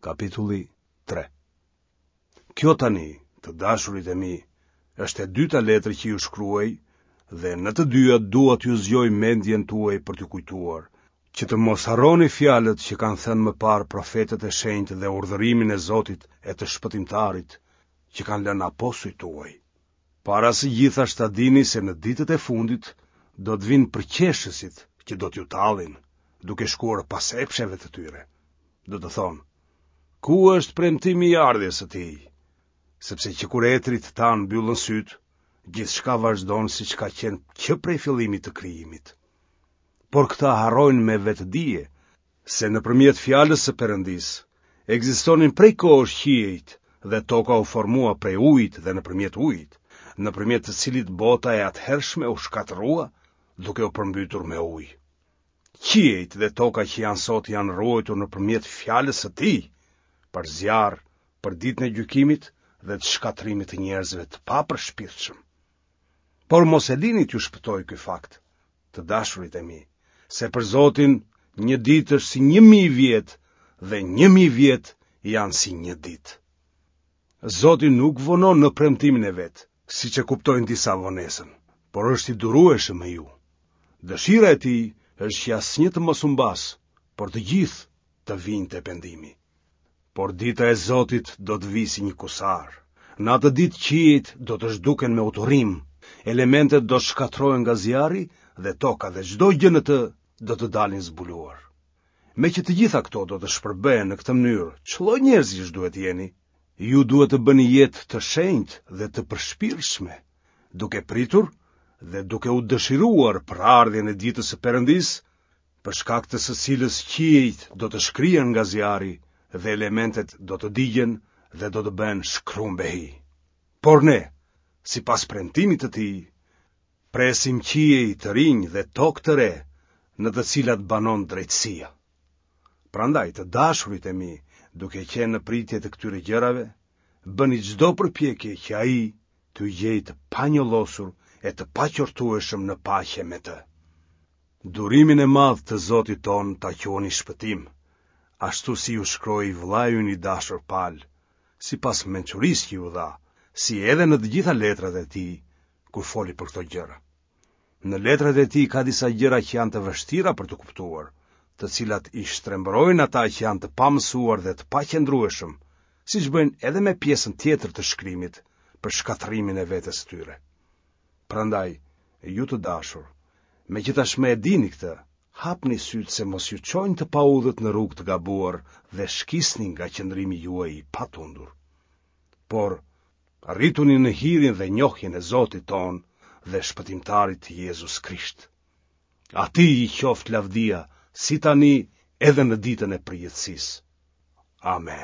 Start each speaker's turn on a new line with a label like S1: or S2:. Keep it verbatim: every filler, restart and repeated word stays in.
S1: Kapitulli tre. Kjo tani, të dashurit e mi, është e dyta letër që ju shkruaj dhe në të dyja dua t'ju zgjoj mendjen tuaj për t'ju kujtuar, që të mos harroni fjalët që kanë thënë më parë profetët e shenjtë dhe urdhërimin e Zotit e të Shpëtimtarit që kanë lënë apostujt tuaj. Para së gjithash ta dini se në ditët e fundit do të vijnë përqeshësit që do t'ju tallin, duke shkuar pas epsheve të tyre. Do të thonë: Ku është premtimi i ardhjes së tij? Sepse që kur etërit tanë mbyllën sytë, gjithçka vazhdon siç ka qenë që prej fillimit të krijimit. Por këta harrojnë me vetëdije se nëpërmjet fjalës së Perëndisë ekzistonin prej kohësh qiejt dhe toka u formua prej ujit dhe nëpërmjet ujit, nëpërmjet të cilit bota e atëhershme u shkatërrua duke u përmbytur me ujë. Qiejt dhe toka që janë sot janë ruajtur nëpërmjet fjalës së tij, për zjarr, për ditën e gjykimit dhe të shkatërrimit të njerëzve të papërshpirtshëm. Por mos e lini t'ju shpëtojë ky fakt, të dashurit e mi, se për Zotin një ditë është si një mijë vjet dhe një mijë vjet janë si një ditë. Zoti nuk vonon në premtimin e vet, siç e kuptojnë disa vonesën, por është i durueshëm me ju. Dëshira e tij është që asnjë të mos humbasë, por të gjithë të vijnë te pendimi. Por dita e Zotit do të vijë si një kusar. Në atë ditë qiejt do të zhduken me uturim, elementet do të shkatërrohen nga zjarri dhe toka dhe çdo gjë në të do të dalin zbuluar. Meqë të gjitha këto do të shpërbëhen në këtë mënyrë, ç'lloj njerëzish duhet të jeni? Ju duhet të bëni jetë të shenjtë dhe të përshpirtshme, duke pritur dhe duke u dëshiruar për ardhjen e ditës së Perëndisë, për shkak të së cilës qiejt do të shkrihen nga zjarri dhe elementet do të digjen dhe do të bëhen shkrumbehi. Por ne, sipas premtimit të tij, presim qiej të rinj dhe tokë të re, në të cilat banon drejtësia. Prandaj, të dashurit e mi, duke qenë në pritje të këtyre gjërave, bëni çdo përpjekje që ai t'ju gjejë të panjollosur e të paqortueshëm në paqe me të. Durimin e madh të Zotit tonë ta quani shpëtim, ashtu si ju shkroi vëllai ynë i dashur Pal, sipas mençurisë që ju dha, si edhe në të gjitha letrat e tij, kur foli për këto gjëra. Në letrat e tij ka disa gjëra që janë të vështira për t'u kuptuar, të cilat i shtrembërojnë ata që janë të pamësuar dhe të paqëndrueshëm, siç bëjnë edhe me pjesën tjetër të shkrimit për shkatërrimin e vetes së tyre. Prandaj, ju të dashur, meqë tashmë e dini këtë, hapni sytë se mos ju çojnë të paudhët në rrugë të gabuar dhe shkisni nga qëndrimi juaj i patundur. Por, rrituni në hirin dhe njohjen e Zotit tonë dhe Shpëtimtarit Jezus Krisht. Atij i qoftë lavdia, si tani edhe në ditën e përjetësisë. Amen.